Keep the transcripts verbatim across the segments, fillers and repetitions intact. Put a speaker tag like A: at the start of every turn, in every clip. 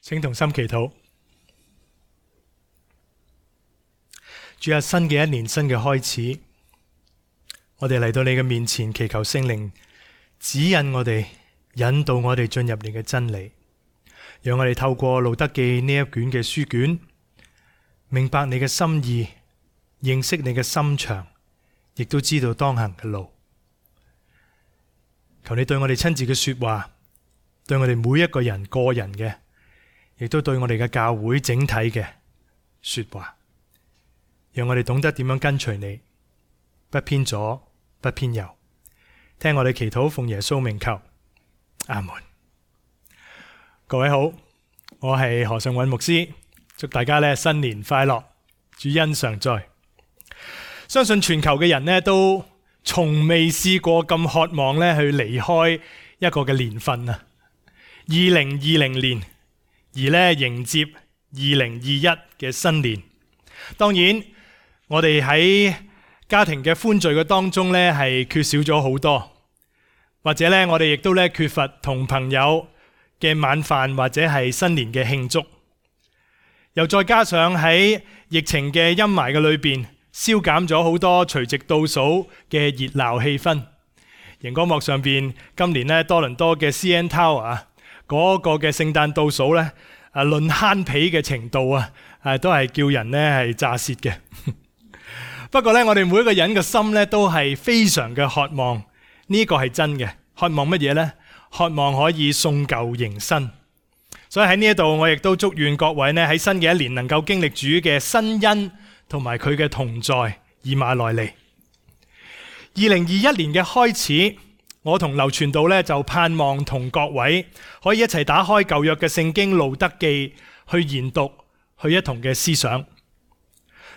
A: 請同心祈禱。主啊，新嘅一年，新嘅開始，我哋嚟到你嘅面前，祈求聖靈指引我哋，引導我哋進入你嘅真理，讓我哋透過路得記呢一卷嘅書卷，明白你嘅心意，認識你嘅心腸，亦都知道當行嘅路。求你對我哋親自嘅說話，對我哋每一個人個人嘅，亦都對我哋嘅教會整體嘅說話，讓我哋懂得點樣跟隨你，不偏左不偏右。聽我哋祈禱，奉耶穌名求，阿門。各位好，我係何尚韻牧師，祝大家咧新年快樂，主恩常在。相信全球嘅人咧都從未試過咁渴望咧去離開一個嘅年份啊，二零二零年，而咧迎接二零二一嘅新年。當然，我哋喺家庭嘅歡聚嘅當中咧係缺少咗好多，或者咧我哋亦都咧缺乏同朋友嘅晚飯或者係新年嘅慶祝。又再加上喺疫情嘅陰霾嘅裏邊，消減咗好多除夕倒數嘅熱鬧氣氛。熒光幕上邊今年咧多倫多嘅 C N Tower 啊，嗰個嘅聖誕倒數咧，啊論慳皮嘅程度啊，啊都係叫人咧係炸舌嘅。不過咧，我哋每一個人嘅心咧都係非常嘅渴望，呢個係真嘅。渴望乜嘢呢？渴望可以送舊迎新。所以喺呢一度，我亦都祝願各位呢喺新嘅一年能夠經歷主嘅新恩同埋佢嘅同在，以馬內利。二零二一年嘅開始，我同劉傳道咧就盼望同各位可以一齊打開舊約嘅聖經路得記去研讀，去一同嘅思想。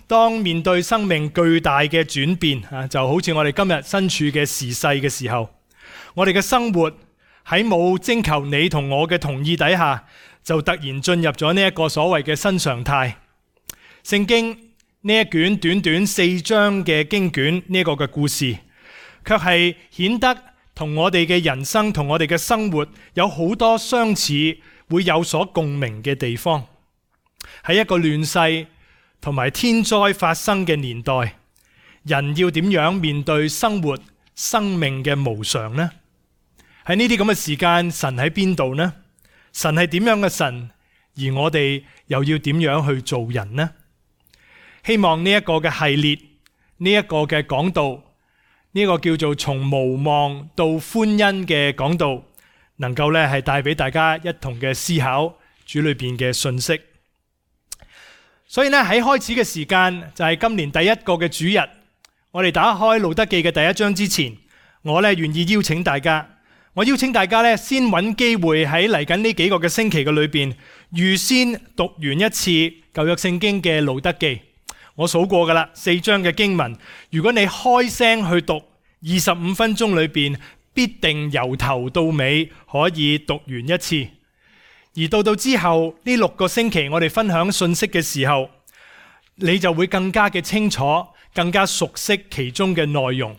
A: 當面對生命巨大嘅轉變啊，就好似我哋今日身處嘅時勢嘅時候，我哋嘅生活喺冇徵求你同我嘅同意底下，就突然進入咗呢一個所謂嘅新常態。聖經呢一卷短短四章嘅經卷，呢一個嘅故事，卻係顯得同我哋嘅人生同我哋嘅生活有好多相似，會有所共鳴嘅地方。喺一個亂世同埋天災發生嘅年代，人要點樣面對生活生命嘅無常呢？喺呢啲咁嘅時間，神喺邊度呢？神係點樣嘅神？而我哋又要點樣去做人呢？希望呢一個嘅系列，呢一個嘅講道，呢個叫做從無望到歡欣嘅講道，能夠咧係帶俾大家一同嘅思考主裏邊嘅信息。所以呢，喺開始嘅時間就係今年第一個嘅主日，我哋打開路得記嘅第一章之前，我咧願意邀請大家，我邀請大家咧先揾機會喺嚟緊呢幾個嘅星期嘅裏邊，預先讀完一次舊約聖經嘅路得記。我數過噶啦，四章嘅經文，如果你開聲去讀，二十五分鐘裏邊必定由頭到尾可以讀完一次。而到到之後呢六個星期，我哋分享信息嘅時候，你就會更加嘅清楚，更加熟悉其中嘅內容。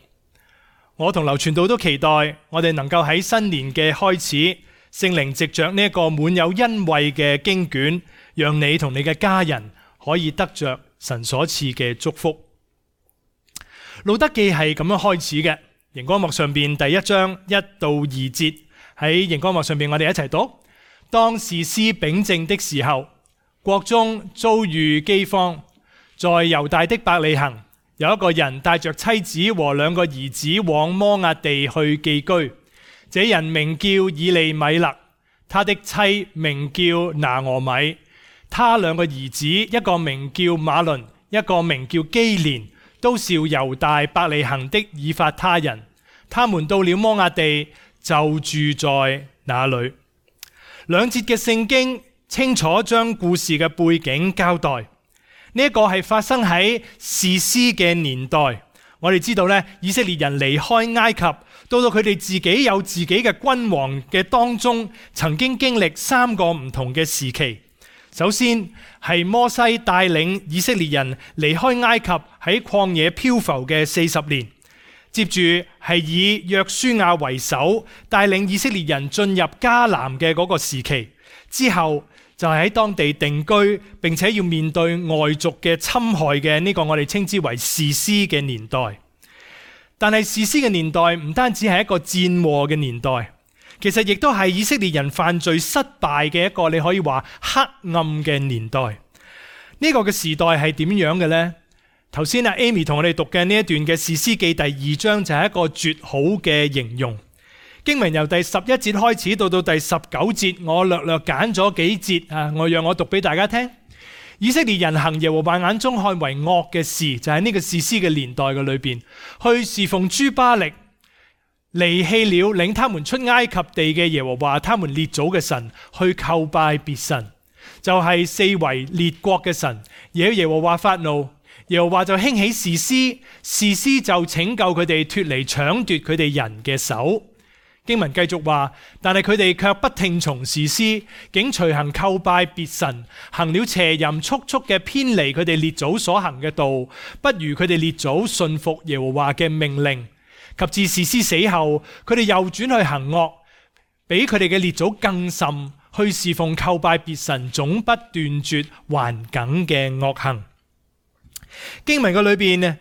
A: 我同劉傳道都期待我哋能夠喺新年嘅開始，聖靈藉着呢一個滿有恩惠嘅經卷，讓你同你嘅家人可以得着神所賜嘅祝福。路得記係咁樣開始嘅，熒光幕上邊第一章一到二節，喺熒光幕上邊我哋一齊讀。當士師秉政的時候，國中遭遇饑荒，在猶大的伯利恆，有一個人帶着妻子和兩個兒子往摩押地去寄居。這人名叫以利米勒，他的妻名叫拿俄米，他兩個兒子一個名叫馬倫，一個名叫基連，都是猶大伯利恆的以法他人。他們到了摩押地，就住在那裏。兩節嘅聖經清楚將故事嘅背景交代。呢、這、一個係發生喺士師嘅年代。我哋知道咧，以色列人離開埃及，到到佢哋自己有自己嘅君王嘅當中，曾經經歷三個唔同嘅時期。首先係摩西帶領以色列人離開埃及，喺曠野漂浮嘅四十年。接住係以約書亞為首，帶領以色列人進入迦南嘅嗰個時期。之後就係喺當地定居，並且要面對外族嘅侵害嘅呢個我哋稱之為士師嘅年代。但係士師嘅年代唔單止係一個戰禍嘅年代，其實亦都係以色列人犯罪失敗嘅一個你可以話黑暗嘅年代。呢個嘅時代係點樣嘅呢？頭先阿 Amy 同我哋讀嘅呢一段嘅士師記第二章就係一個絕好嘅形容。經文由第十一節開始到到第十九節，我略略揀咗幾節啊，我讓我讀俾大家聽。以色列人行耶和華眼中看為惡嘅事，就喺呢個士師嘅年代嘅裏邊，去侍奉諸巴力，離棄了領他們出埃及地嘅耶和華他們列祖嘅神，去叩拜別神，就係、是、四圍列國嘅神。惹耶和華發怒，耶和華就興起士師，士師就拯救佢哋脫離搶奪佢哋人嘅手。經文繼續話，但係佢哋卻不聽從士師，竟隨行叩拜別神，行了邪淫速速嘅偏離佢哋列祖所行嘅道，不如佢哋列祖信服耶和華嘅命令。及至士師死後，佢哋又轉去行惡，比佢哋嘅列祖更甚，去侍奉叩拜別神，總不斷絕頑梗嘅惡行。經文嘅裏邊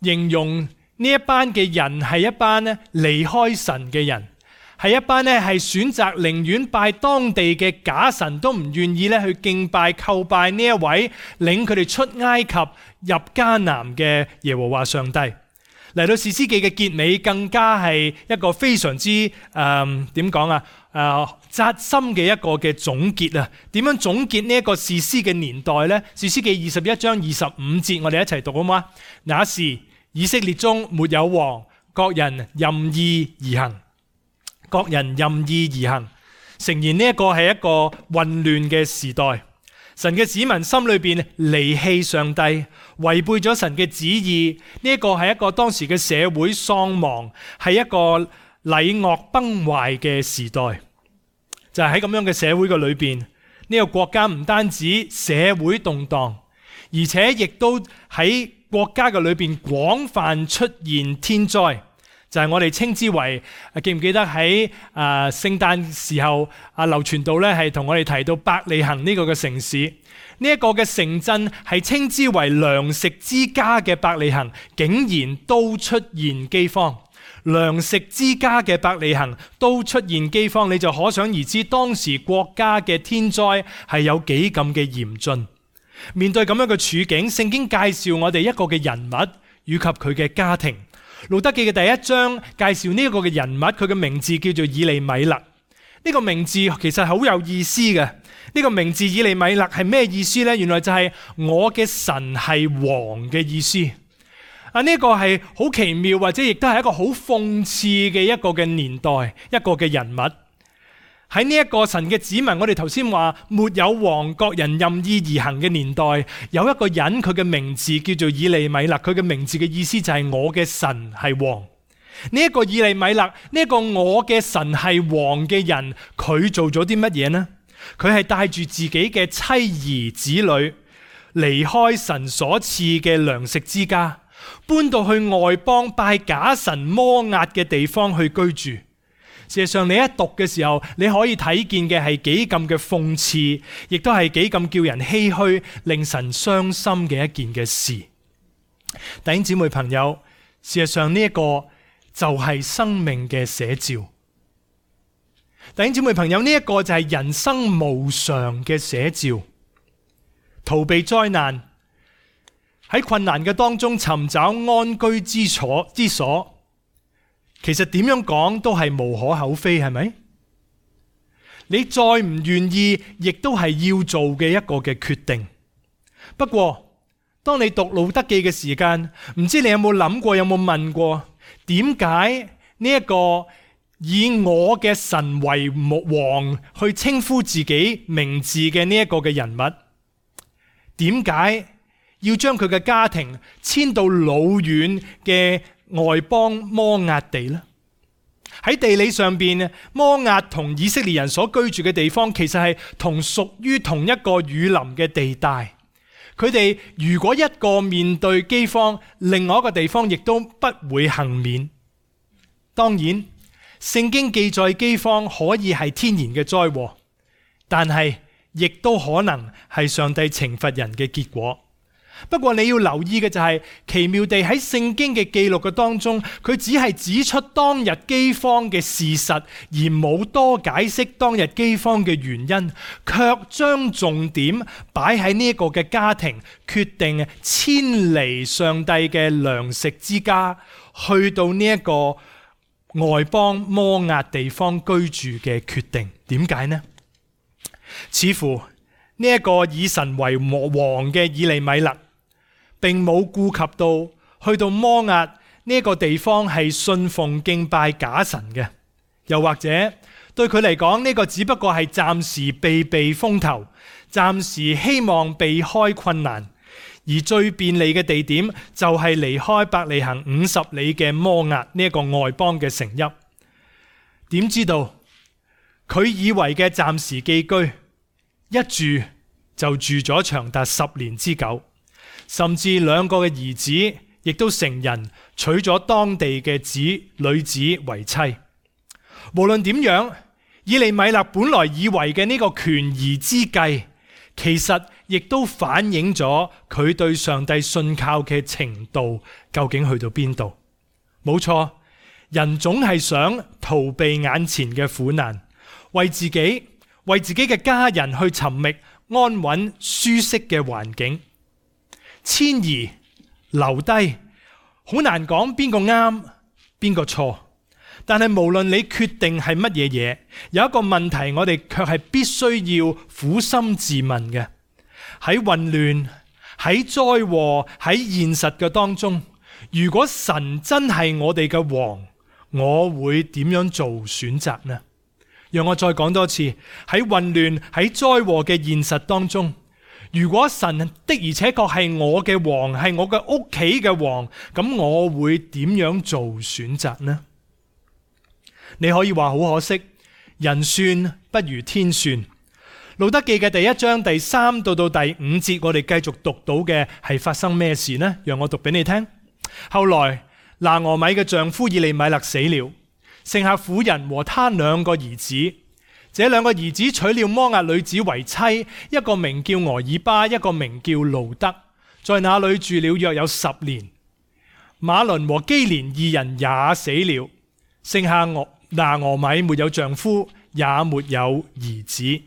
A: 形容呢一班嘅人係一班咧離開神嘅人，係一班咧係選擇寧願拜當地嘅假神，都唔願意咧去敬拜叩拜呢一位領佢哋出埃及入迦南嘅耶和華上帝。嚟到士師記嘅結尾，更加係一個非常之誒點講啊誒扎心嘅一個嘅總結啊！點樣總結呢一個士師嘅年代呢？士師記二十一章二十五節，我哋一齊讀好嗎？那時以色列中沒有王，各人任意而行，各人任意而行，誠然呢一個係一個混亂嘅時代。神嘅子民心裏邊離棄上帝，違背咗神嘅旨意，呢一個係一個當時嘅社會喪亡，係一個禮樂崩壞嘅時代。就係喺咁樣嘅社會嘅裏邊，呢個國家唔單止社會動盪，而且亦都喺國家嘅裏邊廣泛出現天災，就係我哋稱之為，記唔記得喺啊聖誕時候啊劉傳道咧係同我哋提到伯利恆呢個嘅城市，呢一個嘅城鎮係稱之為糧食之家嘅伯利恆，竟然都出現饑荒。糧食之家嘅伯利恆都出現饑荒，你就可想而知當時國家嘅天災係有幾咁嘅嚴峻。面對咁樣嘅處境，聖經介紹我哋一個嘅人物以及佢嘅家庭。路得記嘅第一章介紹呢一個嘅人物，佢嘅名字叫做以利米勒。呢個名字其實好有意思嘅。呢個名字以利米勒係咩意思呢？原來就係我嘅神係王嘅意思。啊！呢個係好奇妙，或者亦都係一個好諷刺嘅一個嘅年代，一個嘅人物。喺呢一個神嘅子民，我哋頭先話沒有王，各人任意而行嘅年代，有一個人佢嘅名字叫做以利米勒，佢嘅名字嘅意思就係我嘅神係王。呢一個以利米勒，呢一個我嘅神係王嘅人，佢做咗啲乜嘢呢？佢係帶住自己嘅妻兒子女離開神所賜嘅糧食之家，搬到去外邦拜假神摩押嘅地方去居住。事實上，你一讀嘅時候，你可以睇見嘅係幾咁嘅諷刺，亦都係幾咁叫人唏噓、令神傷心嘅一件嘅事。弟兄姊妹朋友，事實上呢一個就係生命嘅寫照。弟兄姊妹朋友，呢一個就係人生無常嘅寫照。逃避災難，喺困難嘅當中尋找安居之所之所，其實點樣講都係無可厚非，係咪？你再唔願意，亦都係要做嘅一個嘅決定。不過，當你讀路得記嘅時間，唔知你有冇諗過，有冇問過，點解呢一個以我嘅神為王去稱呼自己名字嘅呢一個嘅人物，點解要將佢嘅家庭遷到老遠嘅外邦摩押地呢？喺地理上邊，摩押同以色列人所居住嘅地方，其實係同屬於同一個雨林嘅地帶。佢哋如果一個面對饑荒，另外一個地方亦都不會幸免。當然，聖經記載饑荒可以係天然嘅災禍，但係亦都可能係上帝懲罰人嘅結果。不過你要留意嘅就係、是，奇妙地喺聖經嘅記錄嘅當中，佢只係指出當日饑荒嘅事實，而冇多解釋當日饑荒嘅原因，卻將重點擺喺呢一個嘅家庭決定遷離上帝嘅糧食之家，去到呢一個外邦摩押地方居住嘅決定。點解呢？似乎呢一個以神為王嘅以利米勒，並冇顧及到去到摩押呢個地方係信奉敬拜假神嘅，又或者對佢嚟講呢個只不過係暫時避避風頭，暫時希望避開困難，而最便利嘅地點就係離開伯利恆五十里嘅摩押呢一個外邦嘅城邑。點知道佢以為嘅暫時寄居，一住就住咗長達十年之久，甚至兩個嘅兒子亦都成人，娶咗當地嘅子女子為妻。無論點樣，以利米勒本來以為嘅呢個權宜之計，其實亦都反映咗佢對上帝信靠嘅程度究竟去到邊度。冇錯，人總係想逃避眼前嘅苦難，為自己為自己嘅家人去尋覓安穩舒適嘅環境。遷移留低，好難講邊個啱邊個錯。但係無論你決定係乜嘢嘢，有一個問題我哋卻係必須要苦心自問嘅：喺混亂、喺災禍、喺現實嘅當中，如果神真係我哋嘅王，我會點樣做選擇呢？讓我再講多次，喺混亂、喺災禍嘅現實當中，如果神的而且確係我嘅王，係我嘅屋企嘅王，咁我會點樣做選擇呢？你可以話好可惜，人算不如天算。路得記嘅第一章第三到到第五節，我哋繼續讀到嘅係發生咩事呢？讓我讀俾你聽。後來拿俄米嘅丈夫以利米勒死了，剩下婦人和他兩個兒子。這兩個兒子娶了摩押女子為妻，一個名叫俄珥巴，一個名叫路得，在那裏住了約有十年。馬倫和基連二人也死了，剩下俄拿俄米沒有丈夫，也沒有兒子。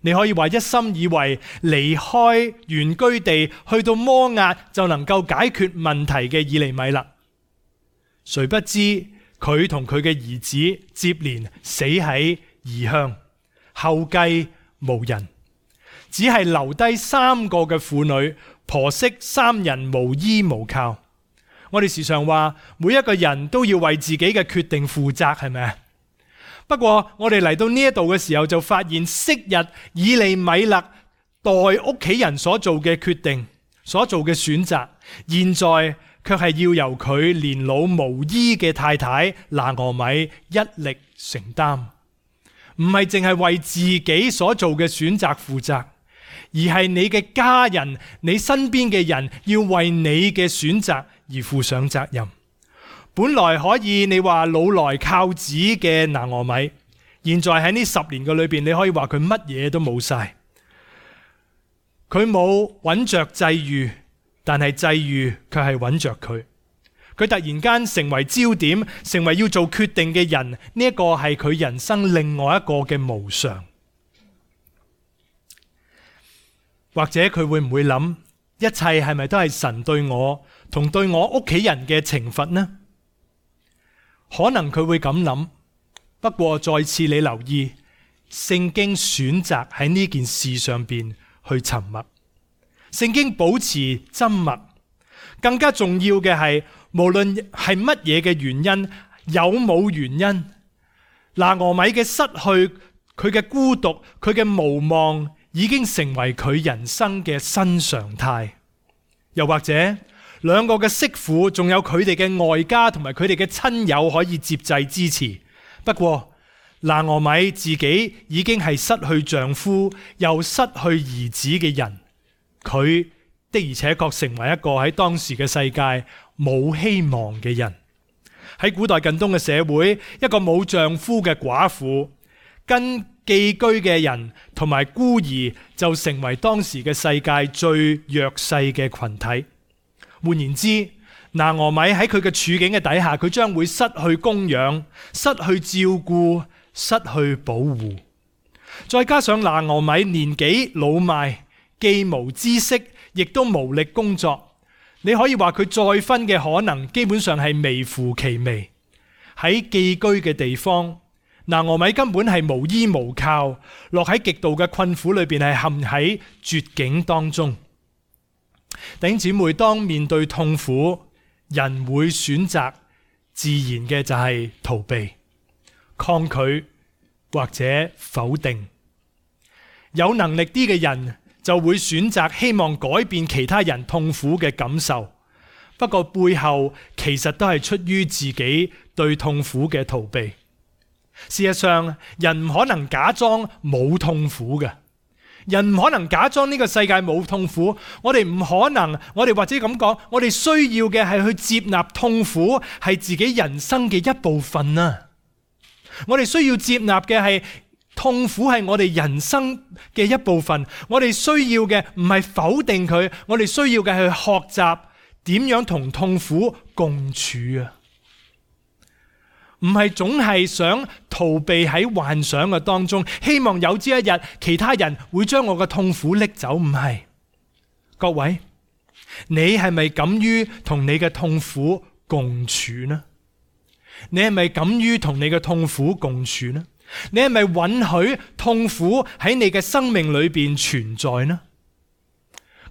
A: 你可以話一心以為離開原居地去到摩押就能夠解決問題嘅以利米勒，誰不知佢同佢嘅兒子接連死喺異鄉，後繼無人，只係留低三個嘅婦女，婆媳三人無依無靠。我哋時常話每一個人都要為自己嘅決定負責，係咪？不過我哋嚟到呢一度嘅時候就發現，昔日以利米勒代屋企人所做嘅決定，所做嘅選擇，現在卻係要由佢年老無依嘅太太拿俄米一力承擔。唔係淨係為自己所做嘅選擇負責，而係你嘅家人、你身邊嘅人要為你嘅選擇而負上責任。本來可以你話老來靠子嘅拿俄米，現在喺呢十年嘅裏邊，你可以話佢乜嘢都冇晒。佢冇揾着際遇，但係際遇卻係揾着佢。佢突然間成為焦點，成為要做決定嘅人，呢一個係佢人生另外一個嘅無常。或者佢會唔會諗，一切係咪都係神對我同對我屋企人嘅懲罰呢？可能佢會咁諗，不過再次你留意，聖經選擇喺呢件事上邊去沉默，聖經保持緘默。更加重要嘅係，無論係乜嘢嘅原因，有冇原因，拿俄米嘅失去，佢嘅孤獨，佢嘅無望，已經成為佢人生嘅新常態。又或者兩個嘅媳婦，仲有佢哋嘅外家同埋佢哋嘅親友可以接濟支持。不過拿俄米自己已經係失去丈夫又失去兒子嘅人，佢的而且確成為一個喺當時嘅世界冇希望嘅人。喺古代近東嘅社會，一個冇丈夫嘅寡婦，跟寄居嘅人同埋孤兒就成為當時嘅世界最弱勢嘅群體。換言之，拿俄米喺佢嘅處境嘅底下，佢將會失去供養、失去照顧、失去保護。再加上拿俄米年紀老邁，既無知識，亦都無力工作。你可以話佢再婚嘅可能基本上係微乎其微。喺寄居嘅地方，拿俄米根本係無依無靠，落喺極度嘅困苦裏邊，係陷喺絕境當中。弟兄姊妹，當面對痛苦，人會選擇自然嘅就係逃避、抗拒或者否定。有能力啲嘅人就會選擇希望改變其他人痛苦嘅感受，不過背後其實都係出於自己對痛苦嘅逃避。事實上，人唔可能假裝冇痛苦嘅，人唔可能假裝呢個世界冇痛苦。我哋唔可能，我哋或者咁講，我哋需要嘅係去接納痛苦係自己人生嘅一部分啊！我哋需要接納嘅係痛苦係我哋人生嘅一部分。我哋需要嘅唔係否定佢，我哋需要嘅係學習點樣同痛苦共處啊！唔係總係想逃避喺幻想嘅當中，希望有朝一日其他人會將我嘅痛苦拎走。唔係，各位，你係咪敢於同你嘅痛苦共處呢？你係咪敢於同你嘅痛苦共處呢？你係咪允許痛苦喺你嘅生命裏邊存在呢？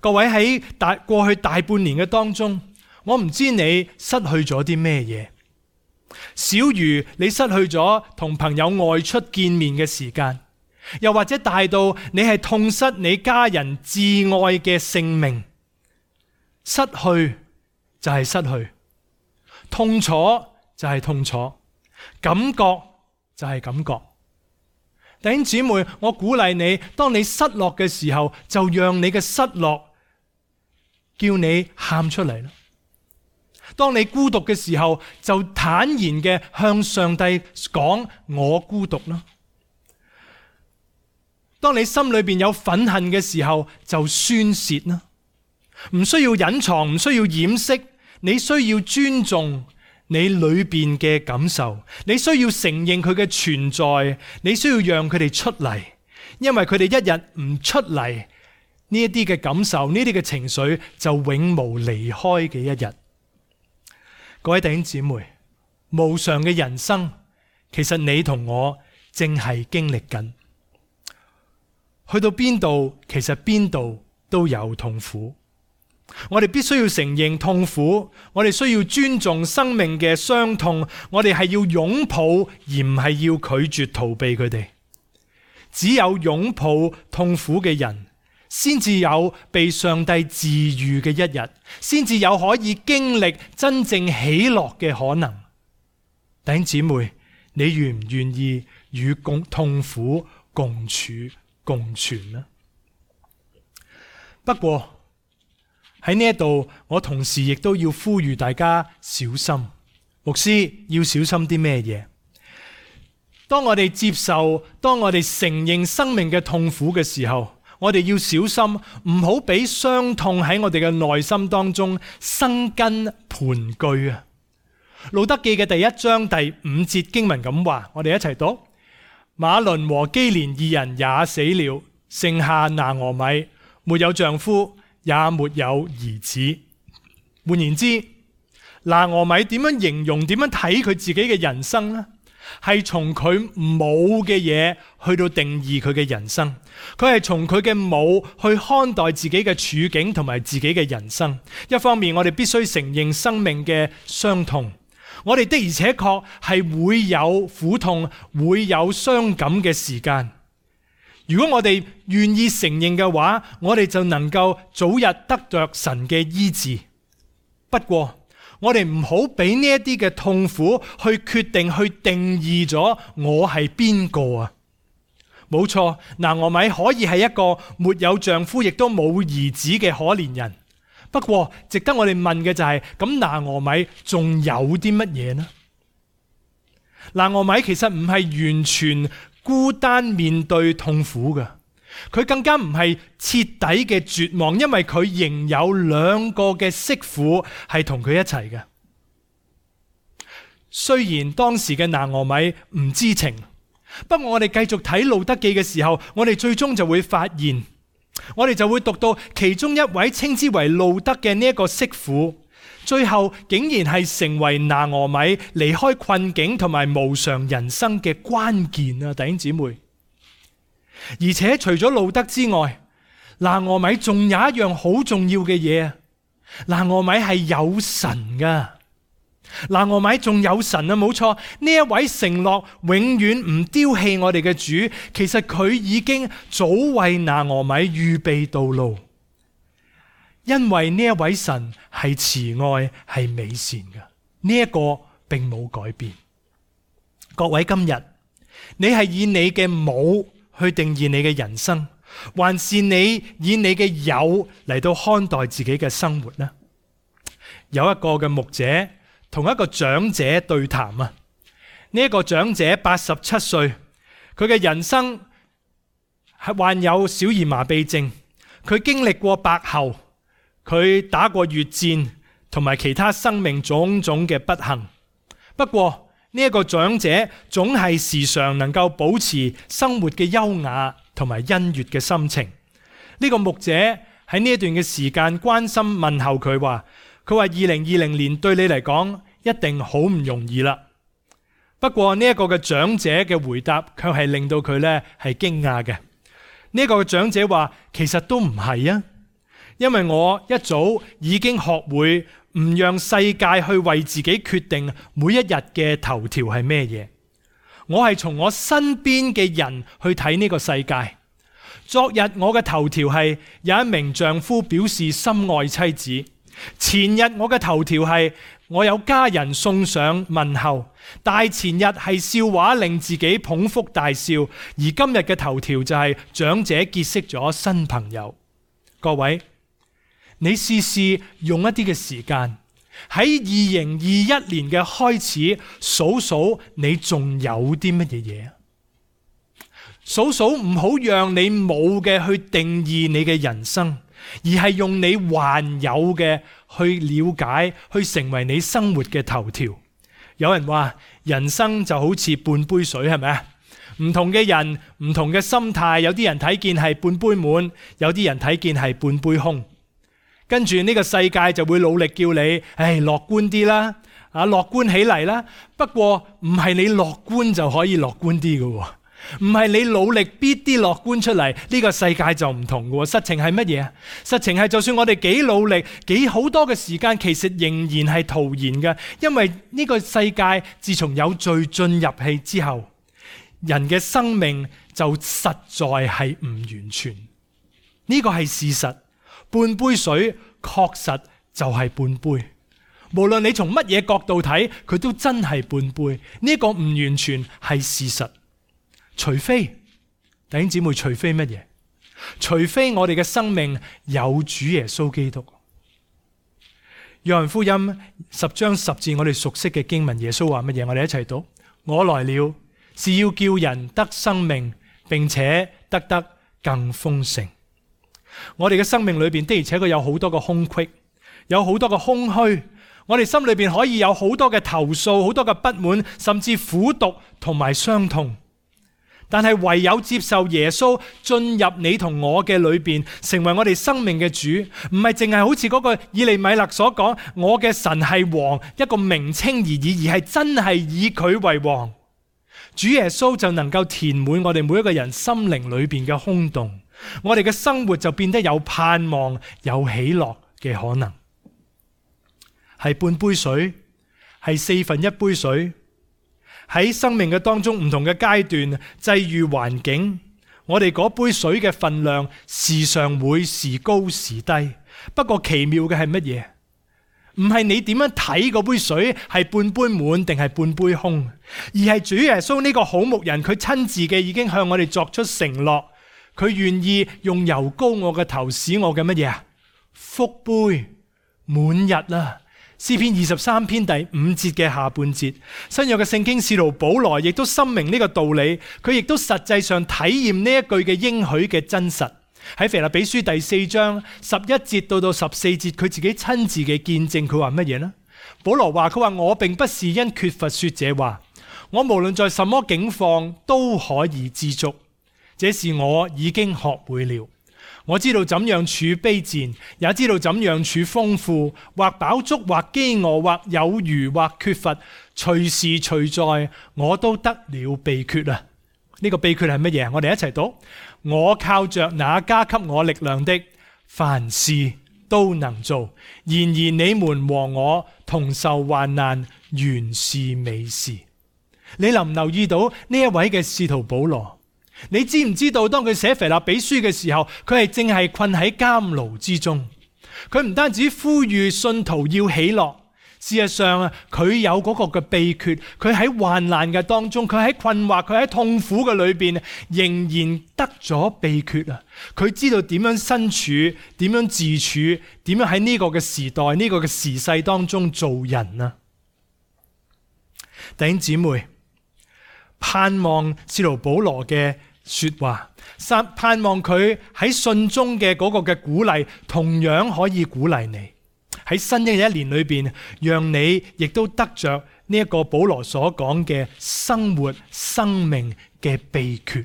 A: 各位，喺大過去大半年嘅當中，我唔知你失去咗啲咩嘢。小如你失去咗同朋友外出見面嘅時間，又或者大到你係痛失你家人摯愛嘅性命。失去就係失去，痛楚就係痛楚，感覺就係感覺。弟兄姊妹，我鼓勵你，當你失落嘅時候，就讓你嘅失落叫你喊出嚟啦。當你孤獨嘅時候，就坦然嘅向上帝講我孤獨啦。當你心裏邊有憤恨嘅時候，就宣洩啦。唔需要隱藏，唔需要掩飾，你需要尊重你裏邊嘅感受，你需要承認佢嘅存在，你需要讓佢哋出嚟，因為佢哋一日唔出嚟，呢一啲嘅感受，呢啲嘅情緒就永無離開嘅一日。各位弟兄姊妹，無常嘅人生，其實你同我正係經歷緊。去到邊度，其實邊度都有痛苦。我哋必須要承認痛苦，我哋需要尊重生命嘅傷痛，我哋係要擁抱，而唔係要拒絕逃避佢哋。只有擁抱痛苦嘅人，先至有被上帝治癒嘅一日，先至有可以經歷真正喜樂嘅可能。弟兄姊妹，你願唔願意與共痛苦共處共存呢？不過喺呢一度，我同時亦都要呼籲大家小心。牧師要小心啲咩嘢？當我哋接受，當我哋承認生命嘅痛苦嘅時候，我哋要小心，唔好俾傷痛喺我哋嘅內心當中生根盤踞啊！路德記嘅第一章第五節經文咁話，我哋一齊讀：馬倫和基連二人也死了，剩下拿俄米，沒有丈夫，也沒有兒子。換言之，拿俄米點樣形容、點樣睇佢自己嘅人生呢？係從佢冇嘅嘢去到定義佢嘅人生，佢係從佢嘅冇去看待自己嘅處境同埋自己嘅人生。一方面，我哋必須承認生命嘅傷痛，我哋的而且確係會有苦痛、會有傷感嘅時間。如果我哋願意承認嘅話，我哋就能夠早日得着神嘅醫治。不過，我哋唔好俾呢一啲嘅痛苦去決定、去定義咗我係邊個啊！冇錯，拿俄米可以係一個沒有丈夫亦都冇兒子嘅可憐人。不過，值得我哋問嘅就係、是：咁拿俄米仲有啲乜嘢呢？拿俄米其實唔係完全孤單面對痛苦嘅，佢更加唔係徹底嘅絕望，因為佢仍有兩個嘅媳婦係同佢一齊嘅。雖然當時嘅拿俄米唔知情，不過我哋繼續睇路得記嘅時候，我哋最終就會發現，我哋就會讀到其中一位稱之為路得嘅呢一個媳婦，最後竟然係成為拿俄米離開困境同埋無常人生嘅關鍵啊！弟兄姊妹，而且除咗路得之外，拿俄米仲有一樣好重要嘅嘢啊！拿俄米係有神噶。拿俄米仲有神啊，冇錯，呢一位承諾永遠唔丟棄我哋嘅主，其實佢已經早為拿俄米預備道路，因為呢一位神係慈愛係美善嘅，呢一個並冇改變。各位，今日你係以你嘅冇去定義你嘅人生，還是你以你嘅有嚟到看待自己嘅生活呢？有一個嘅牧者同一個長者對談啊！呢一個長者八十七歲，佢嘅人生係患有小兒麻痹症，佢經歷過白喉，佢打過越戰，同埋其他生命種種嘅不幸。不過呢一個長者總係時常能夠保持生活嘅優雅同埋欣悅嘅心情。呢個牧者喺呢一段嘅時間關心問候佢話。佢話二零二零年對你嚟講一定好唔容易啦。不過呢一個嘅長者嘅回答卻係令到佢咧係驚訝嘅。呢一個嘅長者話，其實都唔係啊，因為我一早已經學會唔讓世界去為自己決定每一日嘅頭條係咩嘢。我係從我身邊嘅人去睇呢個世界。昨日我嘅頭條係有一名丈夫表示深愛妻子。前日我嘅頭條係我有家人送上問候，大前日係笑話令自己捧腹大笑，而今日嘅頭條就係長者結識咗新朋友。各位，你試試用一啲嘅時間喺二零二一年嘅開始數數你仲有啲乜嘢嘢？數數唔好讓你冇嘅去定義你嘅人生，而係用你還有嘅去了解，去成為你生活嘅頭條。有人話人生就好似半杯水，係咪啊？唔同嘅人，唔同嘅心態，有啲人睇見係半杯滿，有啲人睇見係半杯空。跟住呢個世界就會努力叫你，唉，樂觀啲啦，啊，樂觀起嚟啦。不過唔係你樂觀就可以樂觀啲嘅。唔係你努力逼啲樂觀出嚟，呢個世界就唔同嘅。實情係乜嘢啊？實情係就算我哋幾努力，幾好多嘅時間，其實仍然係徒然嘅。因為呢個世界自從有罪進入氣之後，人嘅生命就實在係唔完全。呢個係事實。半杯水確實就係半杯。無論你從乜嘢角度睇，佢都真係半杯。呢個唔完全係事實。除非弟兄姊妹，除非乜嘢？除非我哋嘅生命有主耶穌基督。約翰福音十章十節，我哋熟悉嘅經文，耶穌話乜嘢？我哋一齊讀：我來了，是要叫人得生命，並且得得更豐盛。我哋嘅生命裏邊的而且確有好多個空隙，有好多個空虛。我哋心裏邊可以有好多嘅投訴，好多嘅不滿，甚至苦毒同埋傷痛。但係唯有接受耶穌進入你同我嘅裏邊，成為我哋生命嘅主，唔係淨係好似嗰個以利米勒所講，我嘅神係王，一個名稱而已，而係真係以佢為王。主耶穌就能夠填滿我哋每一個人心靈裏邊嘅空洞，我哋嘅生活就變得有盼望、有喜樂嘅可能。係半杯水，係四分一杯水。喺生命嘅當中，唔同嘅階段際遇環境，我哋嗰杯水嘅分量時常會時高時低。不過奇妙嘅係乜嘢？唔係你點樣睇嗰杯水係半杯滿定係半杯空，而係主耶穌呢個好牧人，佢親自嘅已經向我哋作出承諾，佢願意用油膏我嘅頭，使我嘅乜嘢啊？福杯滿溢啦，詩篇二十三篇第五節嘅下半節，新約嘅聖經使徒保羅亦都深明呢個道理，佢亦都實際上體驗呢一句嘅應許嘅真實。喺腓立比書第四章十一節到到十四節，佢自己親自嘅見證，佢話乜嘢呢？保羅話：佢話我並不是因缺乏說這話，我無論在什麼境況都可以知足，這是我已經學會了。我知道怎樣處卑賤，也知道怎樣處豐富，或飽足，或飢餓，或有餘，或缺乏，隨時隨在，我都得了秘訣啊！呢個秘訣係乜嘢？我哋一齊讀：我靠着那加給我力量的，凡事都能做。然而你們和我同受患難，原是美事。你留唔留意到呢一位嘅使徒保羅？你知唔知道當佢寫腓立比書嘅時候，佢係正係困喺監牢之中。佢唔單止呼籲信徒要喜樂，事實上啊，佢有嗰個嘅秘訣。佢喺患難嘅當中，佢喺困惑，佢喺痛苦嘅裏邊，仍然得咗秘訣啊！佢知道點樣身處，點樣自處，點樣喺呢個嘅時代，呢個嘅時勢當中做人啊！弟兄姊妹，盼望使徒保羅嘅說話，盼望佢喺信中嘅嗰個嘅鼓勵，同樣可以鼓勵你喺新嘅一年裏邊，讓你亦都得着呢一個保羅所講嘅生活生命嘅秘訣。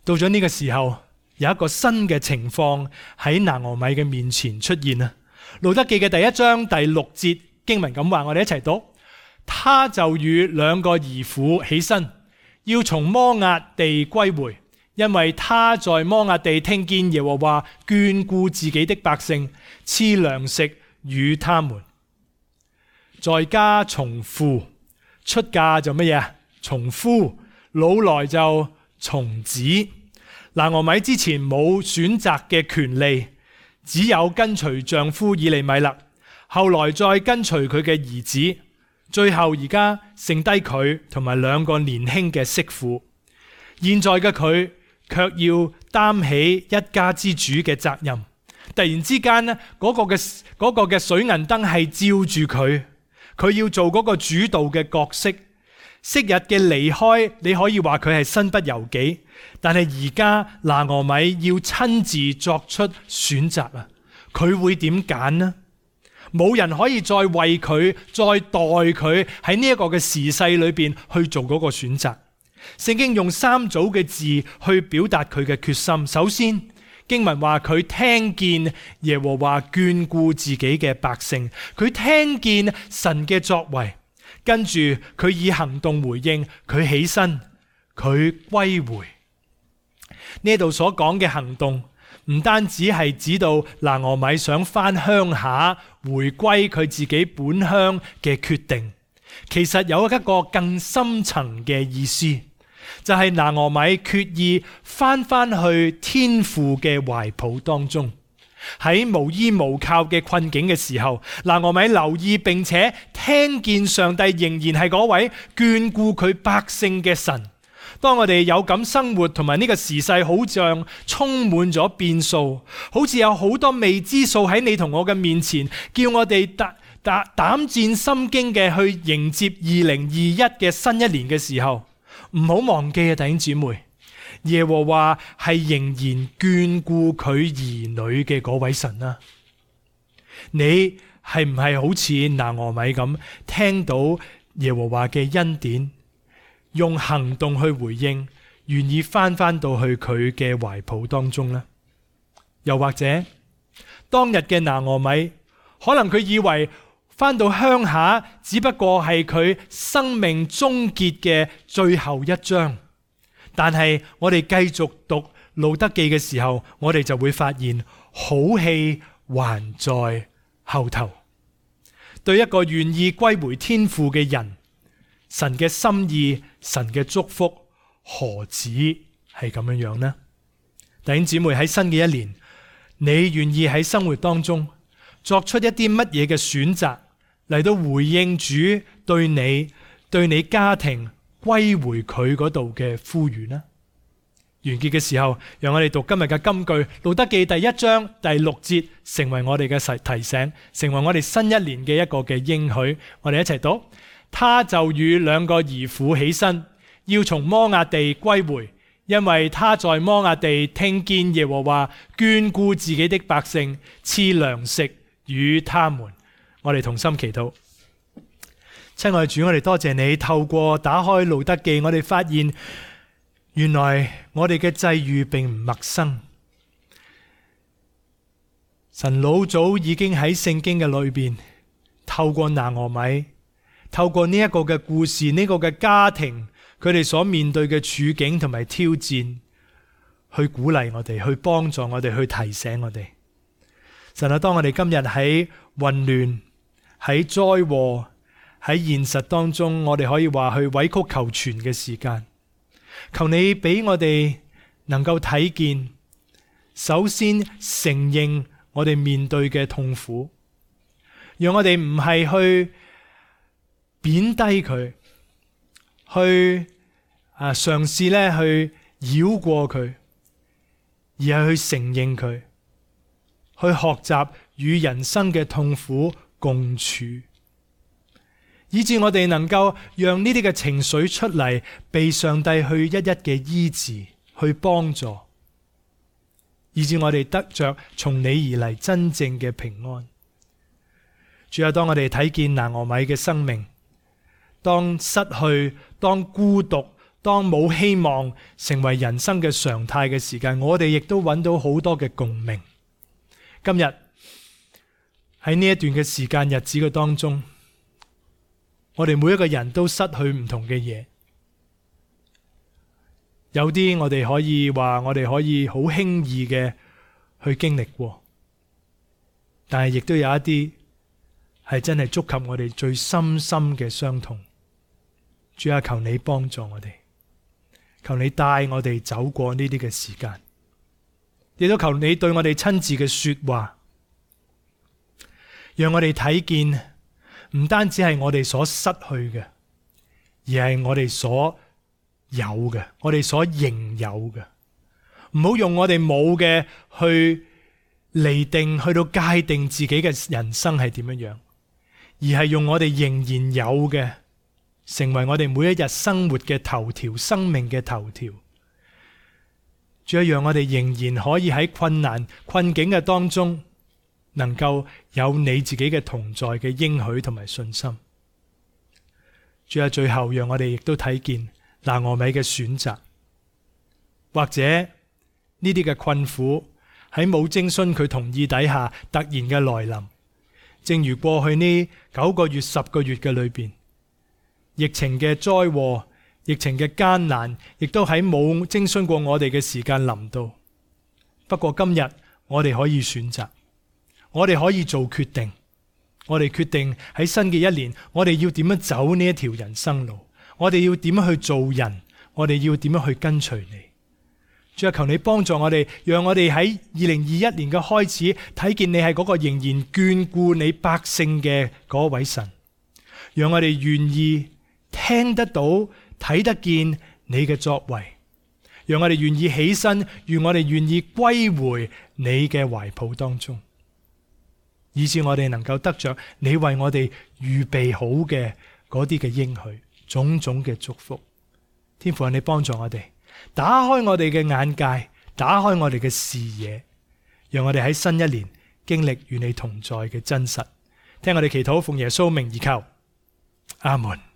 A: 到咗呢個時候，有一個新嘅情況喺拿俄米嘅面前出現啊！路得記嘅第一章第六節經文咁話，我哋一齊讀：他就與兩個兒婦起身，要從摩押地歸回，因為他在摩押地聽見耶和華眷顧自己的百姓，賜糧食與他們。在家從父，出嫁就乜嘢？從夫，老來就從子。拿俄米之前冇選擇嘅權利，只有跟隨丈夫以利米勒，後來再跟隨佢嘅兒子。最後而家剩低佢同埋兩個年輕嘅媳婦，現在嘅佢卻要擔起一家之主嘅責任。突然之間呢，嗰個嘅嗰個嘅水銀燈係照住佢，佢要做嗰個主導嘅角色。昔日嘅離開，你可以話佢係身不由己，但係而家拿俄米要親自作出選擇啊！佢會點揀呢？冇人可以再為佢、再代佢喺呢一個嘅時勢裏邊去做嗰個選擇。聖經用三組嘅字去表達佢嘅決心。首先，經文話佢聽見耶和華眷顧自己嘅百姓，佢聽見神嘅作為，跟住佢以行動回應，佢起身，佢歸回。呢度所講嘅行動，唔單止係指到拿俄米想返鄉下回歸佢自己本鄉嘅決定，其實有一個更深層嘅意思，就係拿俄米決意返返去天父嘅懷抱當中。喺無依無靠嘅困境嘅時候，拿俄米留意並且聽見上帝仍然係嗰位眷顧佢百姓嘅神。當我哋有咁生活，同埋呢個時勢好像充滿咗變數，好似有好多未知數喺你同我嘅面前，叫我哋膽膽膽戰心驚嘅去迎接二零二一嘅新一年嘅時候，唔好忘記啊，弟兄姊妹，耶和華係仍然眷顧佢兒女嘅嗰位神啊！你係唔係好似拿俄米咁聽到耶和華嘅恩典，用行動去回應，願意翻翻到去佢嘅懷抱當中呢？又或者當日嘅拿俄米，可能佢以為翻到鄉下只不過係佢生命終結嘅最後一章，但係我哋繼續讀路得記嘅時候，我哋就會發現好戲還在後頭。對一個願意歸回天父嘅人，神嘅心意，神嘅祝福何止係咁樣樣呢？弟兄姊妹，喺新嘅一年，你願意喺生活當中作出一啲乜嘢嘅選擇嚟到回應主對你、對你家庭歸回佢嗰度嘅呼籲呢？完結嘅時候，讓我哋讀今日嘅金句，路得記第一章第六節，成為我哋嘅提醒，成為我哋新一年嘅一個嘅應許。我哋一齊讀：他就與兩個兒婦起身，要從摩押地歸回，因為他在摩押地聽見耶和華眷顧自己的百姓，賜糧食與他們。我哋同心祈禱。親愛主，我哋多謝你，透過打開路得記，我哋發現原來我哋嘅際遇並唔陌生。神老早已經喺聖經嘅裏邊，透過拿俄米，透過呢一個嘅故事，呢個嘅家庭，佢哋所面對嘅處境同埋挑戰，去鼓勵我哋，去幫助我哋，去提醒我哋。神啊，當我哋今日喺混亂、喺災禍、喺現實當中，我哋可以話去委曲求全嘅時間，求你俾我哋能夠睇見，首先承認我哋面對嘅痛苦，讓我哋唔係去貶低佢，去啊嘗試咧去繞過佢，而係去承認佢，去學習與人生嘅痛苦共處，以致我哋能夠讓呢啲嘅情緒出嚟，被上帝去一一嘅醫治，去幫助，以致我哋得着從你而嚟真正嘅平安。主啊，當我哋睇見拿俄米嘅生命，當失去、當孤獨、當冇希望成為人生嘅常態嘅時間，我哋亦都揾到好多嘅共鳴。今日喺呢一段嘅時間日子嘅當中，我哋每一個人都失去唔同嘅嘢，有啲我哋可以話我哋可以好輕易嘅去經歷過，但係亦都有一啲係真係觸及我哋最深深嘅傷痛。主啊，求你幫助我哋，求你帶我哋走過呢啲嘅時間，亦都求你對我哋親自嘅說話，讓我哋睇見唔單止係我哋所失去嘅，而係我哋所有嘅，我哋所仍有嘅。唔好用我哋冇嘅去釐定，去到界定自己嘅人生係點樣樣，而係用我哋仍然有嘅，成為我哋每一日生活嘅頭條，生命嘅頭條。主要讓我哋仍然可以喺困難困境嘅當中，能夠有你自己嘅同在嘅應許同埋信心。主啊，最後讓我哋亦都睇見拿俄米嘅選擇，或者呢啲嘅困苦喺冇徵詢佢同意底下突然嘅來臨。正如過去呢九個月、十個月嘅裏邊，疫情嘅災禍、疫情嘅艱難，亦都喺冇徵詢過我哋嘅時間臨到。不過今日我哋可以選擇。我哋可以做決定，我哋決定喺新嘅一年，我哋要點樣走呢一條人生路，我哋要點樣去做人，我哋要點樣去跟隨你。主啊，求你幫助我哋，讓我哋喺二零二一年嘅開始睇見你係嗰個仍然眷顧你百姓嘅嗰位神，讓我哋願意聽得到、睇得見你嘅作為，讓我哋願意起身，願我哋願意歸回你嘅懷抱當中，以致我哋能夠得着你為我哋預備好嘅嗰啲嘅應許，種種嘅祝福。天父，你幫助我哋，打開我哋嘅眼界，打開我哋嘅視野，讓我哋喺新一年經歷與你同在嘅真實。聽我哋祈禱，奉耶穌名而求，阿門。